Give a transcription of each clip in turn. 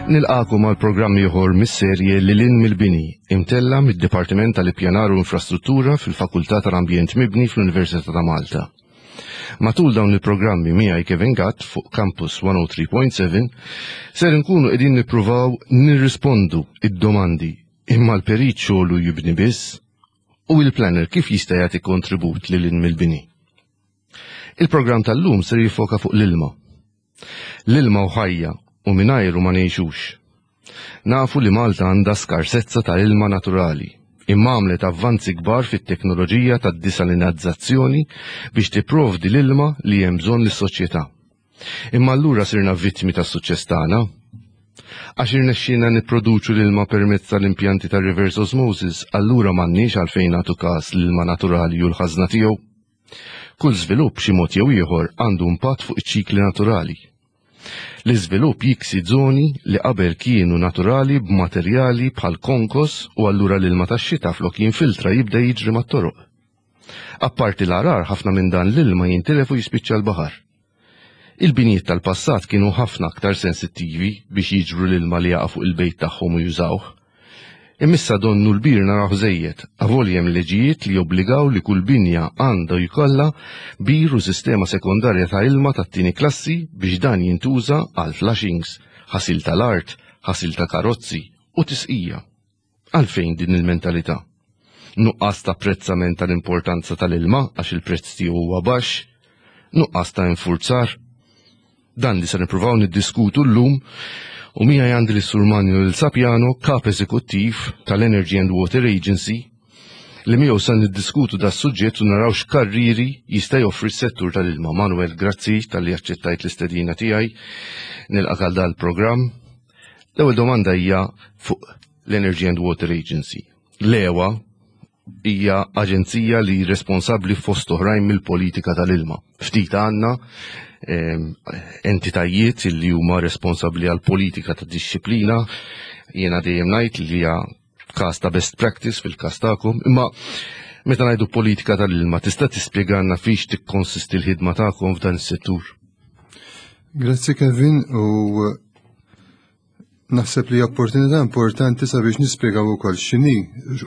Nilqagħkom għal programm ieħor mis-serje Lil Hinn mill-Bini, imtella' mid-Dipartiment tal-Ippjanar u Infrastruttura fil-Fakultà tal-Ambjent Mibni fl-Università ta' Malta. Matul dawn il-programmi miegħi Kevin Gatt fuq Campus 103.7 ser inkunu qegħdin nippruvaw nirrispondu id-domandi imma l-perit xogħlu jibni biss u il-planner kif jista' jagħti kontribut lil hinn mill-bini. Il-programm tal-lum ser jiffoka fuq l-ilma. L-ilma hu ħajja u mingħajru ma ngħixux. Nafu li Malta għandha skarsezza ta' ilma naturali, imma għamlet avvanzi kbar fit-teknoloġija tad-disalinazzazzjoni biex tipprovdi l-ilma li hemm bżonn lis-soċjetà. Imma allura sirna vittmi tas-suċċess tagħna? Għax irnexxielna nipproduċu l-ilma permezz tal-impjanti tar-reverse osmosis, allura m'għandniex għalfejn nagħtu każ l-ilma naturali u l-ħażna tiegħu? Kull żvilupp b'xi mod jew ieħor għandu impatt fuq iċ-ċikli naturali. L-iżvilupp jiksi żoni li qabel kienu naturali b'materjali bħal konkos u allura l-ilma tax-xita flok jinfiltra jibda jiġri mat-toroq. Apparti l-għarar ħafna minn dan l-ilma jintilef u jispiċċa l-baħar. Il-binjiet tal-passat kienu ħafna aktar sensittivi biex jiġbru l-ilma li jaqa' fuq il-bejt tagħhom u jużawh. Imma issa donnu l-bir narawh żejjed, avolja hemm leġijiet li jobbligaw li kull binja għandu jkollha bir u sistema sekondarja ta' ilma tat-tieni klassi biex dan jintuża għal flushings, ħasil tal-art, ħasil ta' karozzi u tisqija. Għalfejn din il-mentalità? Nuqqas ta' apprezzament tal-importanza tal-ilma għax il-prezz tiegħu huwa baxx? Nuqqas ta' infurzar? Dan li se nippruvaw niddiskutu llum u miegħi għandi lis-Sur Manuel Sapiano, Kap Eżekuttiv tal-Energy and Water Agency, li miegħu se niddiskutu da suġġett u naraw x'karriri jista' joffri s-settur tal-ilma. Manuel, grazzi talli aċċettajt l-istedina tiegħi. Nilqak għal dal-programm. L-ewwel domanda hija fuq l-Energy and Water Agency. L-EWA hija aġenzija li responsabbli fost oħrajn mill-politika tal-ilma. Ftit għandna ehm, entitajiet li huma responsabbli għal politika ta' dixxiplina, jiena dejjem ngħid li hija każ ta' best practice fil-każ tagħkom, imma meta ngħidu politika tal-ilma tista' tispjegalna fiex tikkonsisti l-ħidma tagħkom f'dan is-settur? Grazzi Kevin u naħseb li opportunità importanti sabiex nispjegaw ukoll x'inhi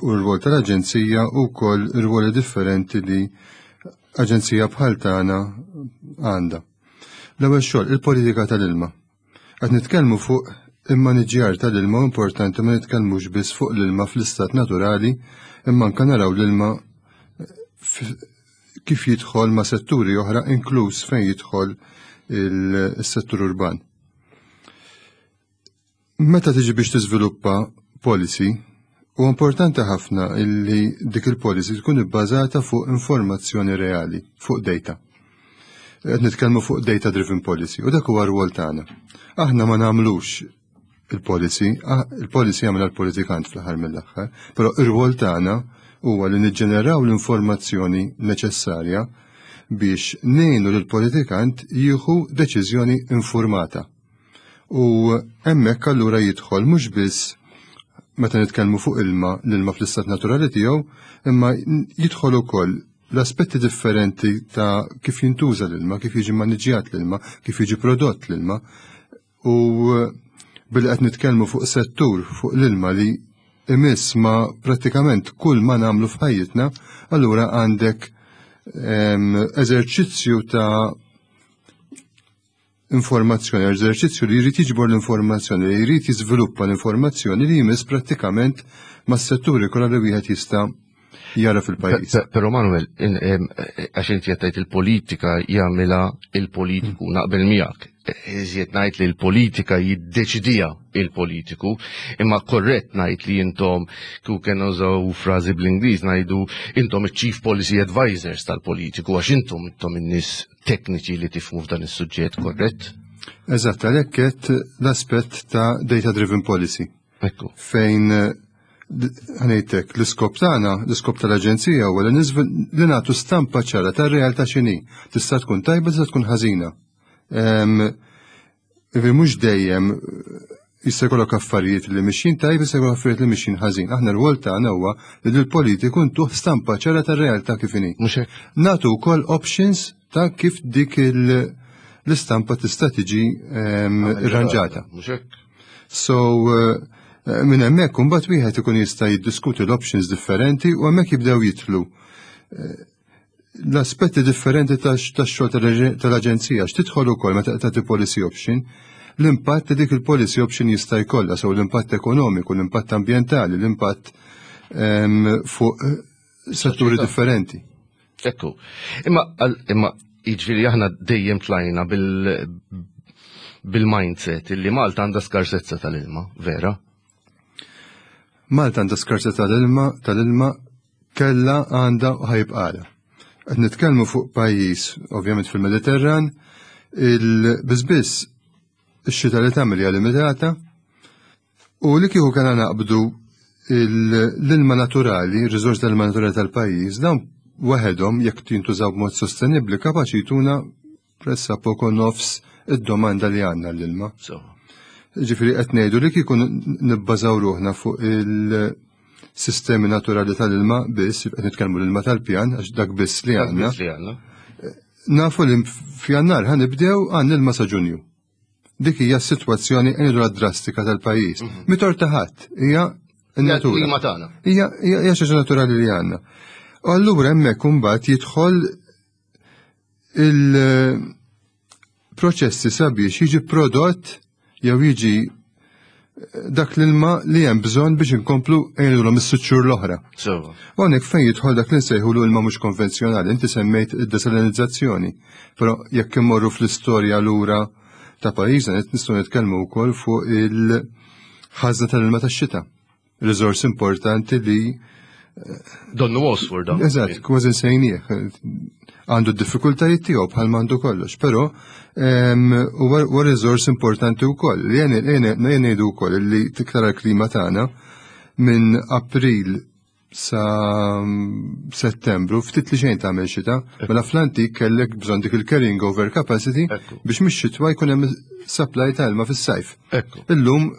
u r-rwol tal-aġenzija u wkoll ir-rwoli differenti li aġenzija bħal tagħna għandha. L-ewwel xogħol il-politika tal-ilma. Qed nitkellmu fuq immaniġjar tal-ilma importanti ma nitkellmux biss fuq l-ilma fl-istat naturali imma anke naraw l-ilma kif jidħol ma' setturi oħra inkluż fejn jidħol il-settur urban. Meta tiġi biex tiżviluppa policy, huwa importanti ħafna illi dik il-policy tkun ibbażata fuq informazzjoni reali, fuq data. Qed nitkellmu fuq data driven policy u dak huwa r-rwol tagħna. Aħna ma nagħmlux il-policy, ah, il-policy jagħmilha l-politikant fl-aħħar mill-aħħar, però ir-rwol tagħna huwa li niġġeneraw l-informazzjoni neċessarja biex ngħinu lill-politikant jieħu deċiżjoni informata. U hemmhekk allura jidħol mhux biss meta nitkellmu fuq ilma, l-ilma fl-istat naturali tiegħu, imma jidħol ukoll l-aspetti differenti ta' kif jintuża l-ilma, kif jiġi maniġjat l-ilma, kif jiġi prodott l-ilma. U billi qed nitkellmu fuq settur fuq l-ilma li imiss ma prattikament kull ma nagħmlu f'ħajjitna, allura għandek ehm, eżerċizzju ta' informazzjoni, eżerċizzju li jrid jiġbor l-informazzjoni, li jrid jiżviluppa l-informazzjoni li jmiss prattikament mas-setturi kollha li wieħed jista' jara fil-pajjiż. Però Manuel, għax inti qed il-politika jagħmilha il-politiku hmm. naqbel miegħek. Iżjed ngħid li l-politika jiddeċidija il-politiku, imma korrett ngħid li intom kieku kien użaw frażi bl-Ingliż ngħidu intom iċ-chief policy advisors tal-politiku għax intom intom in-nies tekniċi li tifhmu f'dan is-suġġett, korrett? Eżatt, għalhekk qed l-aspett ta' data driven policy. Ekku. Fejn ħanejtek l-iskop tagħna, l-iskop tal-aġenzija huwa li li nagħtu stampa ċara tar-realtà x'inhi. Tista' tkun tajba, tista' tkun ħażina. Ivi mhux dejjem jista' jkollok affarijiet li mixjin tajb, jista' jkollok affarijiet li mixjin ħażin. Aħna r-rwol tagħna huwa li lill-politiku ntuh stampa ċara tar-realtà kif inhi. Mhux hekk. Nagħtu wkoll options ta' kif dik l-istampa tista' tiġi ehm, irranġata. Mhux hekk. So eh, minn hemmhekk imbagħad wieħed ikun jista' jiddiskuti l-options differenti u hemmhekk jibdew jidħlu eh, l-aspetti differenti tax-xogħol tal-aġenzija x'tidħol ukoll meta tagħti policy option l-impatt li dik il-policy option jista' jkollha, sew l-impatt ekonomiku, l-impatt ambjentali, l-impatt ehm, fuq eh, setturi differenti. Ekku. Imma imma jiġifieri aħna dejjem tlajna bil bil-mindset illi Malta għandha skarsezza tal-ilma, vera? Malta għandha skarsezza tal-ilma, tal-ilma kella għandha u ħajbqala. Qed nitkellmu fuq pajjiż, ovvjament fil-Mediterran, il-biżbiss ix-xita li tagħmel hija limitata u li kieku kellna naqbdu l-ilma naturali, ir-riżors tal-ilma naturali tal-pajjiż, dawn waħedhom jekk jintużaw b'mod sostenibbli kapaċi jtuna pressa poko nofs id-domanda li għandna l-ilma. Ġifieri qed ngħidu li kieku nibbażaw ruħna fuq il-sistemi naturali tal-ilma biss, qed nitkellmu l-ilma tal-pjan għax dak biss li għandna. Nafu li f'Jannar ħa nibdew għandna ilma sa Ġunju. Dik hija s-sitwazzjoni ngħidu drastika tal-pajjiż. Mhm. Mitor ta' ħadd hija n-natura. Hija hija xi naturali li għandna. U allura hemmhekk imbagħad jidħol il-proċessi sabiex jiġi prodott jew jiġi eh, dak l-ilma li hemm bżonn biex inkomplu ngħidulhom is-sitt xhur l-oħra. Hawnhekk fejn jidħol dak li nsejħulu ilma mhux konvenzjonali, inti semmejt id-desalinizzazzjoni, però jekk immorru fl-istorja lura ta' pajjiżna nistgħu nitkellmu wkoll fuq il-ħażna tal-ilma tax-xita. Riżors importanti li eh, Donnu Osford dan. Eżatt, kważi nsejnieh. Għandu d-diffikultajiet tiegħu bħal m'għandu kollox, però huwa riżors importanti wkoll. Li ngħidu wkoll li tiktar l-klima tagħna minn April sa Settembru ftit li xejn tagħmel xita, mela fl-antik kellek bżonn dik il-carrying over capacity biex mix-xitwa jkun hemm supply ta' ilma fis-sajf. Illum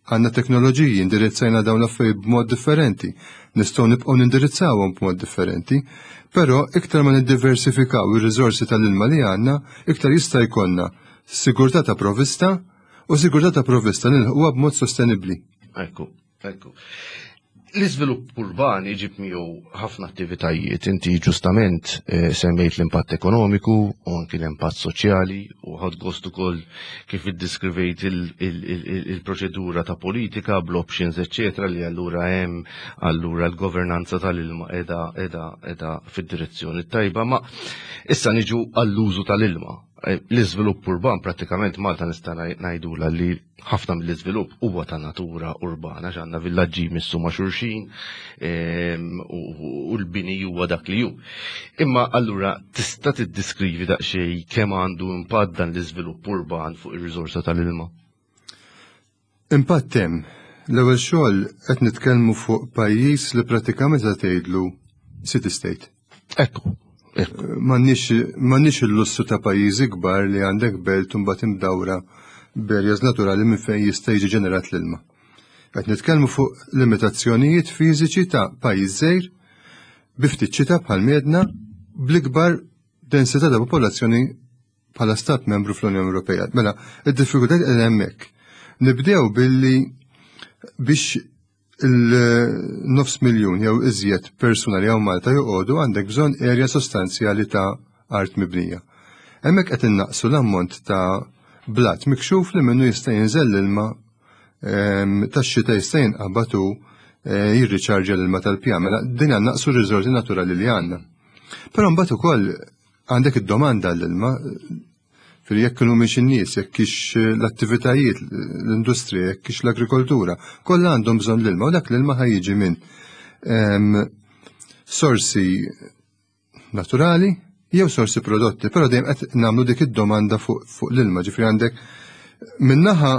Għandna teknoloġiji, indirizzajna dawn l-affarijiet b'mod differenti, nistgħu nibqgħu nindirizzawhom b'mod differenti, però iktar ma niddiversifikaw ir-riżorsi tal-ilma li għandna, iktar jista' jkollna sigurtà ta' provvista u sigurtà ta' provvista nilħquha b'mod sostenibbli. Ekku, ekku. L-iżvilupp urban iġib miegħu ħafna attivitajiet. Inti ġustament eh, semmejt l-impatt ekonomiku u anki l-impatt soċjali u ħadd gost ukoll kif iddiskrivejt il-proċedura ta' politika bl-options eċċetera li allura hemm allura l-governanza tal-ilma qiegħda qiegħda qiegħda fid-direzzjoni tajba. Ma issa niġu għall-użu tal-ilma. Eh, l-iżvilupp urban prattikament Malta nista' ngħidula li ħafna mill-iżvilupp huwa ta' natura urbana, għandna villaġġi jmissu ma' xulxin ehm, u l-bini huwa dak li hu. Imma allura tista' tiddiskrivi daqsxejn kemm għandu impatt dan l-iżvilupp urban fuq ir-riżorsa tal-ilma? Impatt hemm. L-ewwel xogħol qed nitkellmu fuq pajjiż li pratikament qed tgħidlu city state. Ekku. M'għandniex il-lussu ta' pajjiżi kbar li għandek belt u mbagħad imdawra b'areas naturali minn fejn jista' jiġi ġenerat l-ilma. Qed nitkellmu fuq limitazzjonijiet fiżiċi ta' pajjiż żgħir bi ftit xita bħal miedna bl-ikbar densità ta' popolazzjoni bħala stat membru fl-Unjoni Ewropea. Mela, id-diffikultajiet qegħdin hemmhekk. Nibdew billi biex il-nofs miljun jew iżjed persuna li hawn Malta joqogħdu għandek bżonn erja sostanzjali ta' art mibnija. Hemmhekk qed innaqsu l-ammont ta' blat mikxuf li minnu jista' jinżel l-ilma ehm, tax-xita jista' jinqabad u eh, jirriċarġa l-ilma tal-pjan. Mela din naqsu r-riżorsi naturali li għandna. Però mbagħad ukoll għandek id-domanda l-ilma Fil jekk kienu miex in-nies, jekk kix l-attivitajiet, l-industrija, jekk kix l-agrikoltura, kollha għandhom bżonn l-ilma u dak l-ilma ħajjiġi minn ehm, sorsi naturali jew sorsi prodotti, però dejjem qed nagħmlu dik id-domanda fuq fu l-ilma, ġifri għandek minnaħa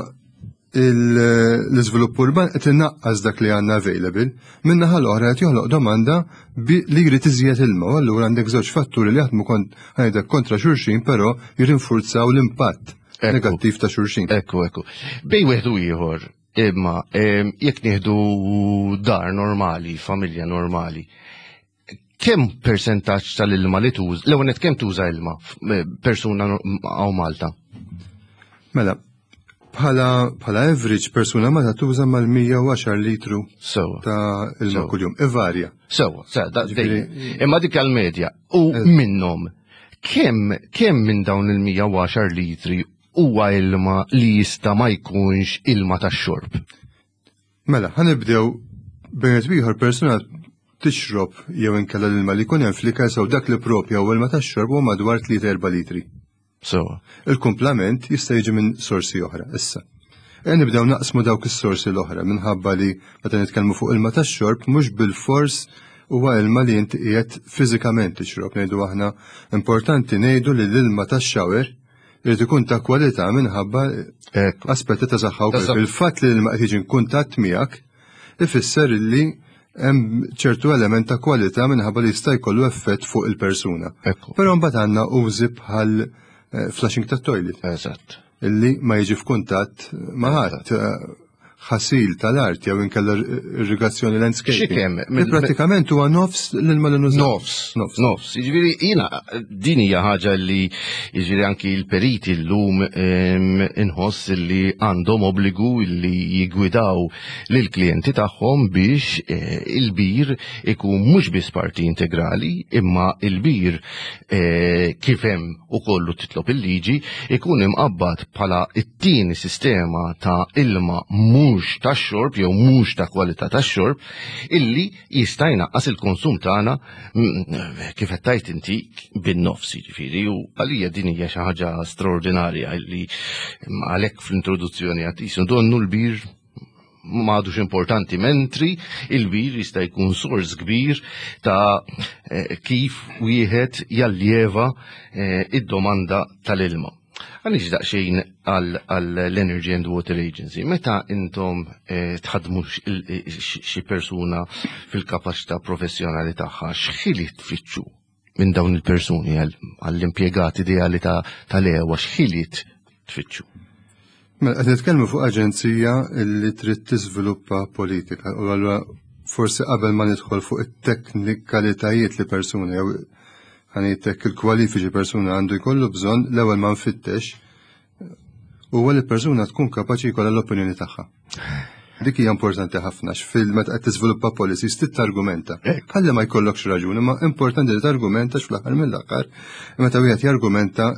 l-iżvilupp urban qed inaqqas dak li għandna available, min-naħa l-oħra qed joħloq domanda li jrid iżjed ilma, u allura għandek żewġ fatturi li jaħdmu ngħidlek kontra xulxin, però jirrinfurzaw l-impatt negattiv ta' xulxin. Ekku, ekku. Bej wieħed u ieħor, imma jekk nieħdu dar normali, familja normali, kemm persentaġġ tal-ilma li tuża, l-ewwel kemm tuża ilma eh, persuna hawn Malta? Mela, Bħala bħala average persuna ma tuża mal-110 litru Sewa. ta' ilma Sewa. kuljum. Ivarja. Sewa, sewa, da- Ġifieri- dejjem. Imma dik għal-medja. U minnhom, kemm kemm minn dawn il-110 litri huwa ilma li jista' ma jkunx ilma tax-xorb? Mela, ħanibdew bejn ieħor persuna tixrob jew inkella l-ilma li jkun hemm fl-ikel sew dak li propja u ilma tax-xorb huwa madwar 3-4 litri. Sewa. Il-kumplament jista' jiġi minn sorsi oħra issa. E nibdew naqsmu dawk is-sorsi l-oħra minħabba li meta nitkellmu fuq ilma tax-xorb mhux bil-fors huwa ilma li inti qiegħed fiżikament tixrob. Ngħidu aħna importanti ngħidu li l-ilma tax-shower irid ikun ta' kwalità minħabba Ekku. aspetti ta' saħħa Ta' wkoll. saħħa. Il-fatt li l-ilma qed jiġi kuntatt miegħek ifisser li hemm ċertu element ta' kwalità minħabba li jista' jkollu effett fuq il-persuna. Ekku. Però mbagħad għandna użi bħal eh, flushing tat-toilet Eżatt. illi ma jiġi f'kuntatt ma' ħadd eh, ħasil tal-art jew inkella irrigazzjoni landscaping. Xi kemm? Li pratikament huwa nofs l-ilma li nużaw. Nofs, Nofs. nofs. Jiġifieri jiena din hija ħaġa li jiġifieri anki l-periti llum em, inħoss li għandhom obbligu li jigwidaw lill-klijenti tagħhom biex eh, il-bir ikun mhux biss parti integrali, imma il-bir eh, kif hemm ukollu titlob il-liġi ikun imqabbad bħala it-tieni sistema ta' ilma mhux tax-xorb jew mhux ta' kwalità tax-xorb illi jista' jnaqqas il-konsum tagħna mm, kif qed tgħid inti bin-nofs jiġifieri u għalija din hija xi ħaġa straordinarja illi mm, għalhekk fl-introduzzjoni għad jisu donnu l-bir ma għadux importanti mentri il-bir jista' jkun sors kbir ta' eh, kif wieħed jalljeva eh, id-domanda tal-ilma. Għaliex daqsxejn għall-Energy and Water Agency, meta intom eh, tħadmu xi persuna fil-kapaċità professjonali tagħha, x'ħiliet tfittxu minn dawn il-persuni għall-impjegat ideali tal-EWA, x'ħiliet tfittxu? Mela qed nitkellmu fuq aġenzija li trid tiżviluppa politika u allura forsi qabel ma nidħol fuq it-teknikalitajiet li persuna jew ħanejtek il-kwalifiċi persuna għandu jkollu bżonn l-ewwel ma nfittex huwa li persuna tkun kapaċi jkollha l-opinjoni tagħha. Dik hija importanti ħafna x'fil meta qed tiżviluppa policies trid targumenta. Ħalli ma jkollokx raġuni, ma importanti li targumenta fl-aħħar mill-aħħar meta wieħed jargumenta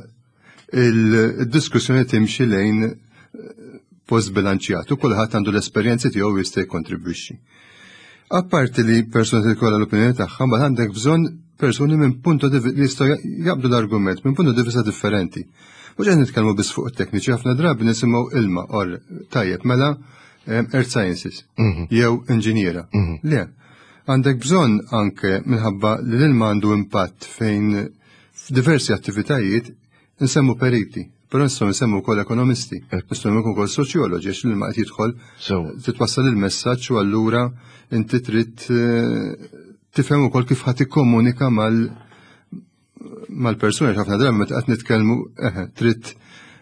il-diskussjoni timxi lejn eh, post bilanċjat u kulħadd għandu l-esperjenzi tiegħu jista' jikkontribwixxi. Apparti li persuna li jkollha l-opinjoni tagħha, mbagħad għandek bżonn persuni minn punto di li jistgħu jaqbdu l-argument minn punto di vista differenti. Mhux qed nitkellmu biss fuq it-tekniċi, ħafna drabi nisimgħu ilma or tajjeb mela eh, earth sciences jew inġiniera. Le, għandek bżonn anke minħabba li l-ilma għandu impatt fejn f'diversi attivitajiet nsemmu periti, però nistgħu nsemmu wkoll ekonomisti, nistgħu nsemmu wkoll soċjoloġi għax l-ilma qed jidħol So, titwassal il-messaġġ u allura inti trid eh, tifhem ukoll kif ħadd ikkomunika mal mal-persuna ħafna drabi meta qed nitkellmu eħe, trid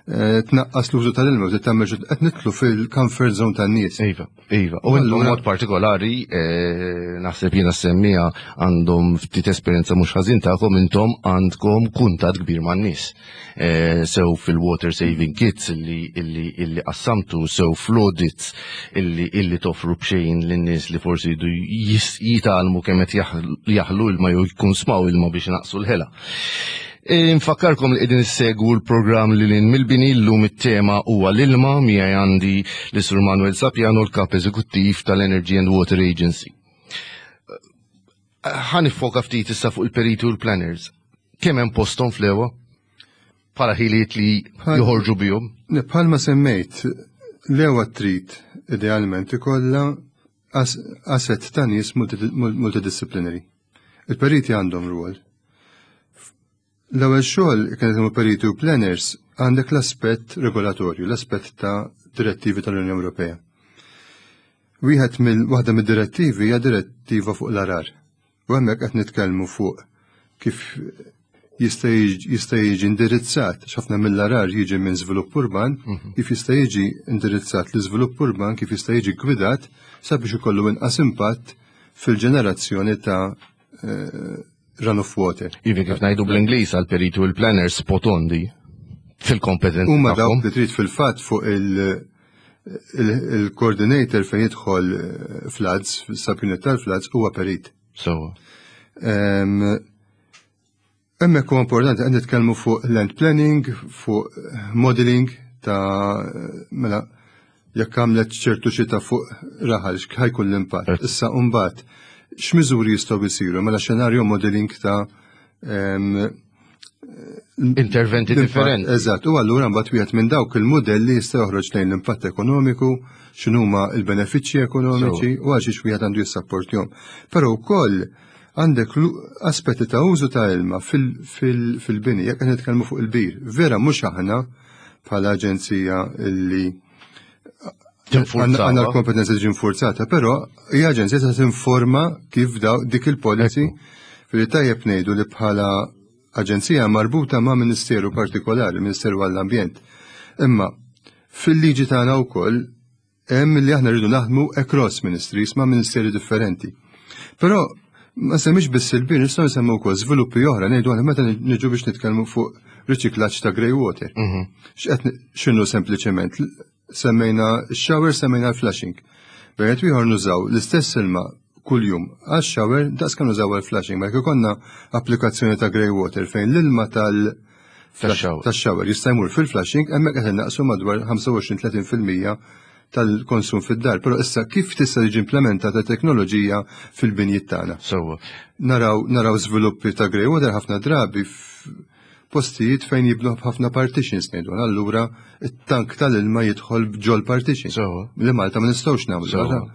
eh, tnaqqas l-użu tal-ilma u trid tagħmel xi- qed nidħlu fil-comfort zone tan-nies. Iva, iva. U intom Allura- mod partikolari, eh, naħseb jiena semmija għandhom ftit esperjenza mhux ħażin tagħkom intom għandkom kuntatt kbir man-nies. Eh, Sew fil-water saving kits illi illi illi qassamtu, sew fl-audits illi illi toffru b'xejn lin-nies li forsi jridu jis- jitgħallmu kemm qed jaħlu jaħlu ilma jew jkun smaw ilma biex naqsu l-ħela. E, Nfakkarkom li qegħdin issegwu l-programm li lin mill-bini llum it-tema huwa l-ilma miegħi għandi l Sur Manuel Sapiano l-kap eżekuttiv tal-Energy and Water Agency. Ħa nifoka ftit issa fuq il-periti u l-planners. Kemm hemm posthom fl-EWA? Bħala ħiliet li Bħal- joħorġu bihom. Le, Bħalma semmejt, l-EWA trid idealment ikollha as- asset ta' nies multi- multidisciplinary. Il-periti għandhom rwol. L-ewwel xogħol kien huma periti u planners għandek l-aspett regolatorju, l-aspett ta' direttivi tal-Unjoni Ewropea. Wieħed mill waħda mid-direttivi hija direttiva fuq l-arar. U hemmhekk qed nitkellmu fuq kif jista' jiġi jista' jiġi indirizzat, x'ħafna mill-arar jiġi minn żvilupp urban, kif jista' jiġi indirizzat l-iżvilupp urban, kif jista' jiġi gwidat sabiex ikollu inqas impatt fil-ġenerazzjoni ta' eh, runoff water. Ivi kif ngħidu bl-Ingliż għal periti u l-planners spot on di. fil-kompetenza. Huma dawk li trid fil-fatt fuq il-coordinator fejn jidħol floods, subunit tal-floods huwa perit. So. Hemmhekk huwa importanti qed nitkellmu fuq land planning, fuq modeling ta' mela jekk għamlet ċertu xita fuq raħal x'ħajkun l-impatt. Issa mbagħad x'miżuri jistgħu jsiru mela xenarju modeling ta' interventi differenti. Eżatt, u allura mbagħad wieħed minn dawk il-modelli jista' joħroġ lejn l-impatt ekonomiku, x'inhuma l-benefiċċji ekonomiċi u għal xiex wieħed għandu jissapportjhom. Però wkoll għandek aspetti ta' użu ta' ilma fil-bini, jekk qed nitkellmu fuq il-bir. Vera mhux aħna bħala aġenzija li għandna l-kompetenza tiġi nfurzata, però hija aġenzija se tinforma kif dik il-policy fil tajjeb ngħidu li bħala aġenzija marbuta ma' ministeru partikolari, Ministeru għall-Ambjent. Imma fil-liġi tagħna wkoll hemm li aħna rridu naħdmu across ministries ma' ministeri differenti. Però ma semmix biss il-bir, nistgħu nsemmu wkoll żviluppi oħra ngħidu aħna meta niġu biex nitkellmu fuq riċiklaġġ ta' grey water. X'qed x'inhu sempliċement semmejna shower, semmejna l-flushing. Bejn ieħor nużaw l-istess ilma kuljum għax-shower daqs kan nużaw għal-flushing, ma jekk ikollna applikazzjoni ta' grey water fejn l-ilma tal tax-shower jista' jmur fil-flushing, hemmhekk qed innaqsu madwar 25-30% tal-konsum fid-dar. Però issa kif tista' tiġi implementata teknoloġija fil-binjiet tagħna? Sewwa. Naraw naraw żviluppi ta' grey water ħafna drabi postijiet fejn jibnu ħafna partitions ngħidu. Allura it-tank tal-ilma jidħol ġol partition. Sewwa. Li Malta ma nistgħux nagħmlu.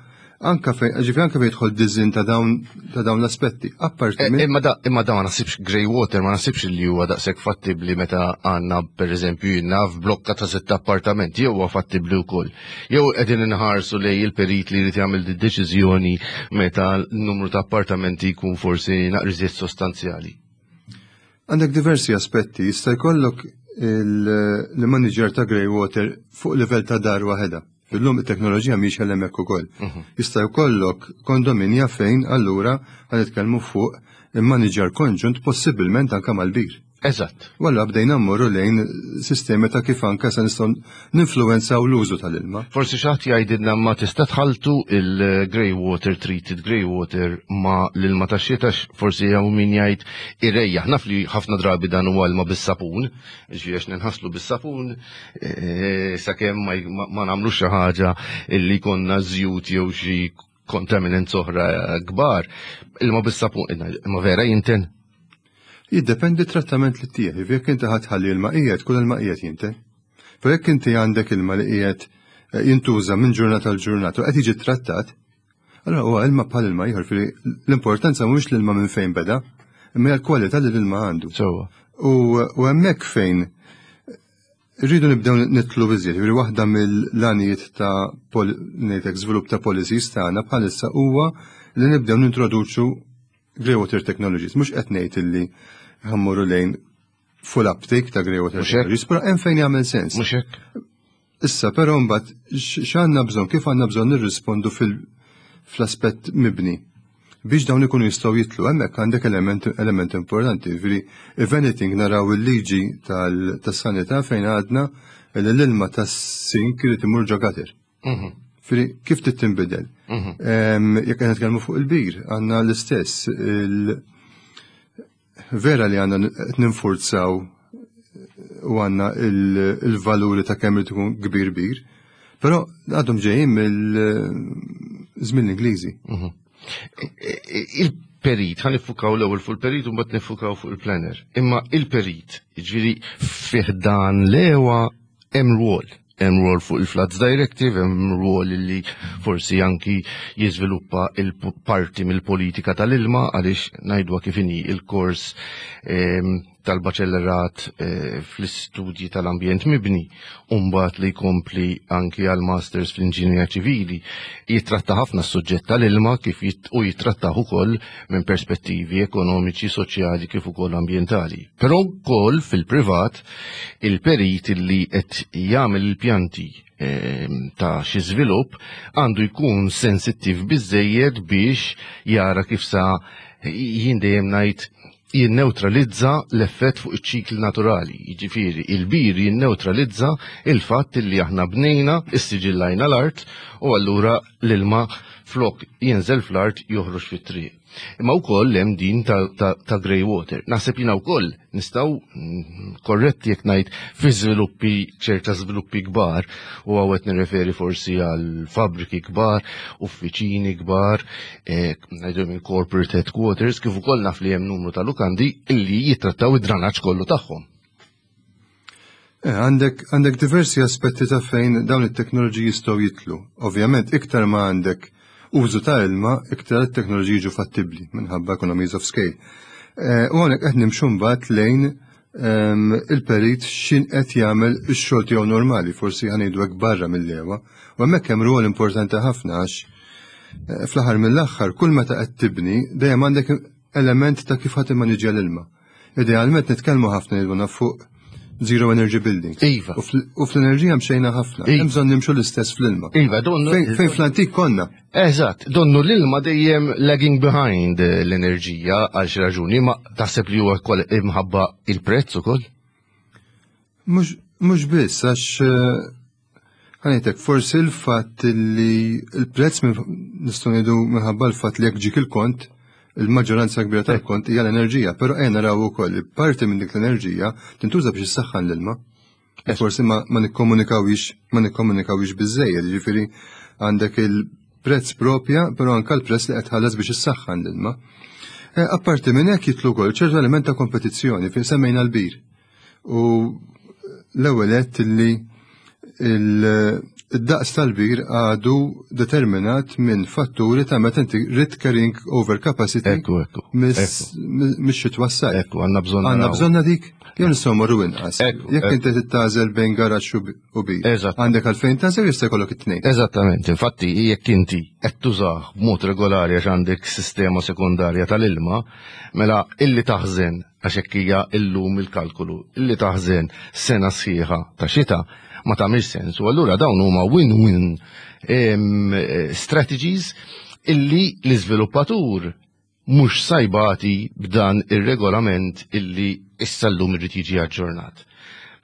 Anka fejn, ġifieri anka fejn jidħol design ta' dawn l-aspetti. Apparti minn Imma da ma nasibx grey water, ma nasibx li huwa daqshekk fattibbli meta għandna, pereżempju, jiena f'blokka ta' sitt appartamenti, jew huwa fattibbli wkoll. Jew qegħdin inħarsu lej il-perit li jrid jagħmel di deċiżjoni meta n-numru ta' appartamenti jkun forsi naqriżiet sostanzjali. Għandek diversi aspetti, jista' jkollok il-manager ta' grey water fuq livell ta' dar waħedha. Illum it-teknoloġija mhix hemmhekk ukoll. Jista' jkollok kondominja fejn allura ħa nitkellmu fuq il-manager konġunt, possibilment anke mal-bir. Walla bdejna mmorru lejn sistemi ta' kif anke se nistgħu ninfluwenzaw l-użu tal-ilma. Forsi xi ħadd jgħidilna, ma tista' tħaltu il-grey water, treated grey water, ma l-ilma tax-xita? Forsi hawn min jgħid irejjaħ. Naf li ħafna drabi dan huwa ilma bis-sapun, ġifieri għax ninħaslu bis-sapun sakemm ma nagħmlux xi ħaġa illi konna żjut jew xi contaminants oħra kbar. Ilma bis-sapun, imma vera jinten? Jiddependi trattament li tieħ, jekk inti ħa tħalli ilma qiegħed, kull ilma qiegħed jinten. Però jekk inti għandek ilma li qiegħed jintuża minn ġurnata l ġurnata u qed jiġi trattat, allora huwa ilma bħal ilma ieħor, fili l-importanza mhux l-ilma minn fejn beda, imma hija l-kwalità li l-ilma għandu. U hemmhekk fejn rridu nibdew nidħlu biżżejjed, jiġifieri waħda mill-għanijiet ta' ngħidlek żvilupp ta' policies tagħna bħalissa huwa li nibdew nintroduċu grey water technologies. Mhux qed ngħid illi ħa mmorru lejn full uptake ta' grey water Mhux hekk? technologies, però hemm fejn jagħmel sens. Mhux hekk? Issa, però mbagħad x'għandna bżonn, kif għandna bżonn nirrispondu fl-aspett mibni biex dawn ikunu jistgħu jidħlu, hemmhekk għandek element importanti. Ġifieri, if anything, naraw il-liġi tas-sanità fejn għadna li l-ilma tas-sink irid imur ġo gutter. Ġifieri, kif trid tinbidel? Jekk qed nitkellmu fuq il-bir, għandna l-istess. Vera li għandna qed ninfurzaw u għandna il-valuri ta' kemm irid ikun kbir bir, però għadhom ġejjin mill-żmien l-Ingliżi. Il-perit, ħa niffukaw l-ewwel fuq il-perit u mbagħad niffukaw fuq il-planner. Imma il-perit, jiġifieri fih dan l-EWA hemm rwol. Hemm rwol fuq il-Floods Directive, hemm rwol li forsi anki jiżviluppa il-parti mill-politika tal-ilma, għaliex ngħidwa kif inhi, il-kors tal-baċellerat fl-istudji tal-ambjent mibni, mbagħad li jkompli anki għal masters fl-inġinja ċivili, jitratta ħafna s-suġġett tal-ilma kif u jitrattaħ ukoll minn perspettivi ekonomiċi, soċjali kif ukoll ambjentali. Però wkoll fil-privat il-perit li qed jagħmel il-pjanti ta' xi żvilupp għandu jkun sensittiv biżejjed biex jara kif sa jien dejjem ngħid. Jinnewtralizza l-effett fuq iċ-ċikli naturali, jiġifieri il-bir jinnewtralizza il-fatt li aħna bnejna, issiġillajna l-art u allura l-ilma flok jinżel fl-art joħroġ fit-triq. Imma wkoll hemm din ta', ta, ta grey water. Naħseb jiena wkoll nistgħu mm, korretti jekk ngħid fi żviluppi ċerta żviluppi kbar u hawn nirreferi forsi għal fabbriki kbar, uffiċini kbar, eh, ngħidu minn corporate headquarters, kif ukoll naf li hemm numru ta' lukandi illi jittrattaw id-dranaġġ kollu tagħhom. Eh, għandek għandek diversi aspetti ta' fejn dawn it-teknoloġiji jistgħu jitlu. Ovvjament, iktar ma għandek użu ta' ilma, iktar it-teknoloġiji jiġu fattibbli minħabba economies of scale. Eh, u għonek qed nimxu mbagħad lejn ehm, il-perit xin qed jagħmel ix-xogħol tiegħu normali, forsi ħanejdu hekk barra mill-lewa. U hemmhekk hemm rwol importanti ħafna għax eh, fl-aħħar mill-aħħar kull meta qed tibni dejjem għandek element ta' kif ħadd immaniġġja l-ilma. Idealment nitkellmu ħafna jiduna fuq zero energy buildings. Iva. U fl-enerġija mxejna ħafna. Iva. Hemm bżonn nimxu l-istess fl-ilma. Iva, donnu. Fejn fl-antik konna. Eżatt, donnu l-ilma dejjem lagging behind l-enerġija għal xi raġuni, ma taħseb li huwa wkoll imħabba il-prezz ukoll? Mhux biss għax eh, Ħanejtek, forsi l-fatt li l-prezz nistgħu ngħidu minħabba l-fatt li jekk ġik il-kont, il-maġġoranza kbira tal-kont hija l-enerġija, però ejja naraw ukoll li parti minn dik l-enerġija tintuża biex issaħħan l-ilma. Eh. Forsi ma, ma nikkomunikawix ma nikkomunikawix biżejjed, jiġifieri għandek il-prezz propja, però anke l-prezz li qed tħallas biex issaħħan l-ilma. Eh, apparti minn hekk jitlu wkoll ċertu element ta' kompetizzjoni fejn semmejna l-bir. U l-ewwel għedt li il-daqs tal-bir għadu determinat minn fatturi ta' meta inti rid carrying over capacity. Ekku, ekku. Mix-xitwa s-sajf. Ekku, għandna bżonn. Għandna bżonna dik, jew nistgħu morru inqas. Jekk inti tagħżel bejn garaxx u bir. Eżatt. Għandek għalfejn tagħżel jista' jkollok it-tnejn. Eżattament, infatti jekk inti qed tużah b'mod regolari għax għandek sistema sekondarja tal-ilma, mela illi taħżen għax hekk hija llum il-kalkolu, li taħżen sena sħiħa ta' xita ma tagħmilx sens. U allura dawn huma win-win strategies illi l-iżviluppatur mhux sajbati b'dan ir-regolament illi issa llum irid jiġi aġġornat.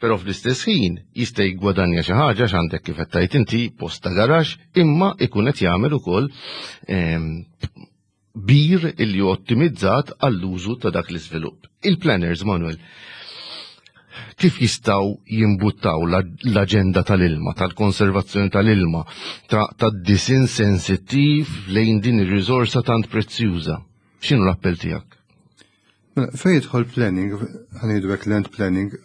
Però fl-istess ħin jista' jiggwadanja xi ħaġa x'għandek kif qed tgħid inti post ta' garaxx imma ikun qed jagħmel ukoll bir illi hu ottimizzat għall-użu ta' dak l-iżvilupp. Il-planners, Manuel, kif jistaw jimbuttaw l-aġenda tal-ilma, tal-konservazzjoni tal-ilma, ta' disin sensittiv lejn din ir-riżorsa tant prezzjuża? X'inhu l-appell tiegħek? Mela, fejn jidħol planning, ħanejdu hekk land planning,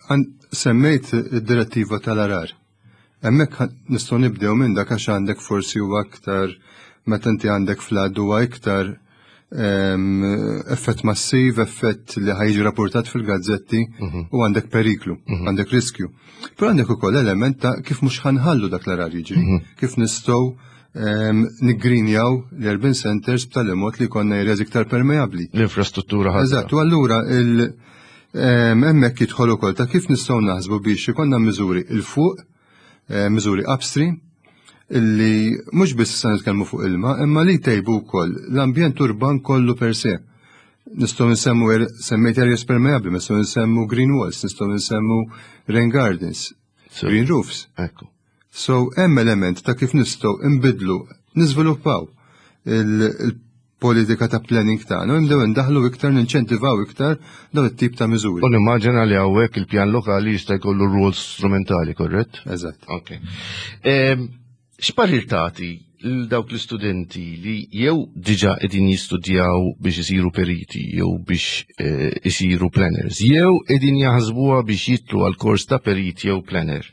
semmejt id-direttiva tal-arar. Hemmhekk nistgħu nibdew minn dak għax għandek forsi huwa aktar meta inti għandek flood huwa iktar ehm, effett massiv, effett li ħajġi rapportat fil-gazzetti mhm. u għandek periklu, mhm. għandek riskju. Però għandek ukoll element ta' kif mhux ħanħallu dak l-arar jiġri, mhm. kif nistgħu ehm, niggrinjaw l-urban centers b'tali mod li konna areas iktar permeabli. L-infrastruttura ħadra. Eżatt, u allura il- Hemmhekk jidħol ukoll ta' kif nistgħu naħsbu biex ikollna miżuri 'il fuq, eh, miżuri upstream, illi mhux biss se nitkellmu fuq ilma, imma li jtejbu wkoll l-ambjent urban kollu per se. Nistgħu nsemmu er, semmejt areas permeabbli, nistgħu nsemmu green walls, nistgħu nsemmu rain gardens, green roofs. Ekku. So hemm element ta' kif nistgħu nbidlu, niżviluppaw il-politika ta' planning tagħna u nibdew indaħlu iktar ninċentivaw iktar dawn it-tip ta' miżuri. U nimmaġina li hawnhekk il-pjan lokali jista' jkollu rwol strumentali, korrett? Eżatt. Ok. Ehm, x'parir tagħti lil dawk l-istudenti li jew diġà qegħdin jistudjaw biex isiru periti jew biex eh, isiru planners, jew qegħdin jaħsbuha biex jitlu għal kors ta' perit jew planner,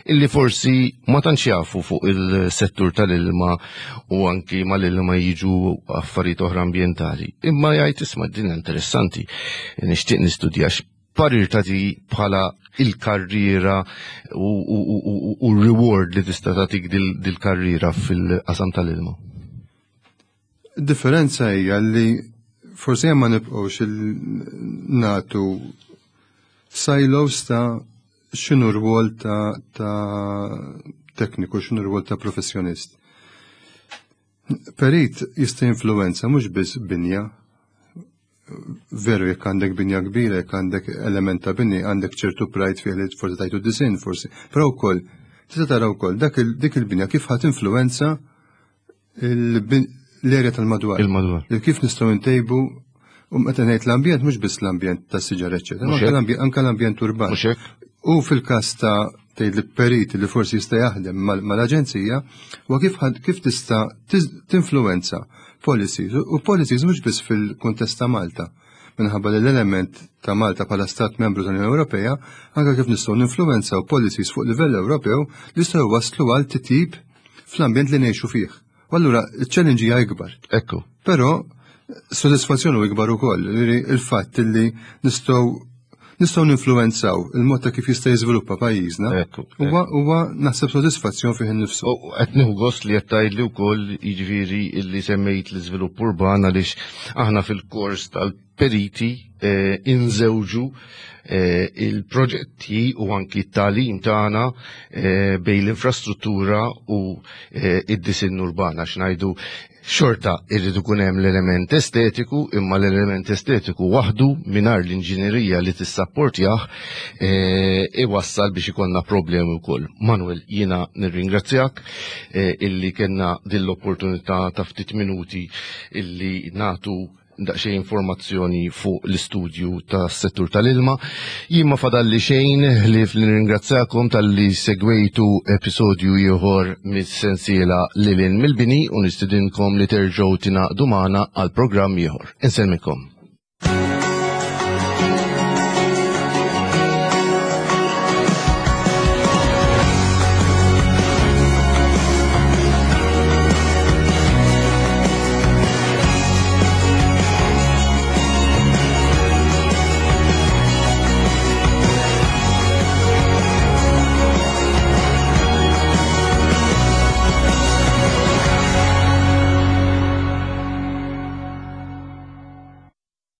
illi forsi ma tantx jafu fuq il-settur tal-ilma u anki mal-ilma jiġu affarijiet oħra ambjentali. Imma jgħid isma' din interessanti, nixtieq nistudja parir tagħti bħala il-karriera u r-reward li tista' tagħtik dil-karriera fil-qasam tal-ilma? Differenza hija li forsi hemm ma nibqgħux nagħtu silos ta' x'inhu rwol ta', ta tekniku, x'inhu rwol ta' professjonist. Perit jista' jinfluwenza mhux biss binja. Veru jekk għandek binja kbira, jekk għandek element ta' bini, għandek ċertu pride fih li forsi tajtu disin forsi. Però wkoll tista' tara wkoll dak dik il-binja kif ħadd influenza l-erja tal-madwar. Il-madwar. Kif nistgħu ntejbu u meta ngħid l-ambjent mhux biss l-ambjent tas-siġar eċċetera, anke l-ambjent urban. U fil-każ ta' tgħid li perit li forsi jista' jaħdem mal-aġenzija huwa kif kif tista' tinfluwenza policies u policies mhux biss fil-kuntest ta' Malta minħabba li l-element ta' Malta bħala stat membru tal-Unjoni Ewropea anke kif nistgħu ninfluwenzaw policies fuq livell Ewropew li jistgħu waslu għal titjib fl-ambjent li ngħixu fih. U allura il-challenge hija ikbar. Ekku. Però sodisfazzjon u ikbar ukoll, il-fatt li nistgħu nistgħu ninfluwenzaw il-mod ta' kif jista' jiżviluppa pajjiżna. Huwa huwa naħseb sodisfazzjon fih innifsu. U qed nieħu gost li qed tgħidli wkoll jiġifieri illi semmejt l-iżvilupp urban għaliex aħna fil-kors tal-periti eh, inżewġu eh, il-proġetti u anki t-tagħlim tagħna eh, bejn l-infrastruttura u id-disinn urban għax ngħidu Xorta irrid ikun hemm l-element estetiku, imma l-element estetiku waħdu mingħajr l-inġinerija li tissapportjah eh, iwassal biex ikollna problemi wkoll. Manuel, jiena nirringrazzjak eh, illi kellna din l-opportunità ta' ftit minuti illi natu daqsxejn informazzjoni fuq l-istudju tas-settur tal-ilma. Jien ma fadalli xejn li nirringrazzjakom talli segwejtu episodju ieħor mis-sensiela Lilin mill-Bini u nistidinkom li terġgħu tingħaqdu magħna għal programm ieħor. Insellmikom.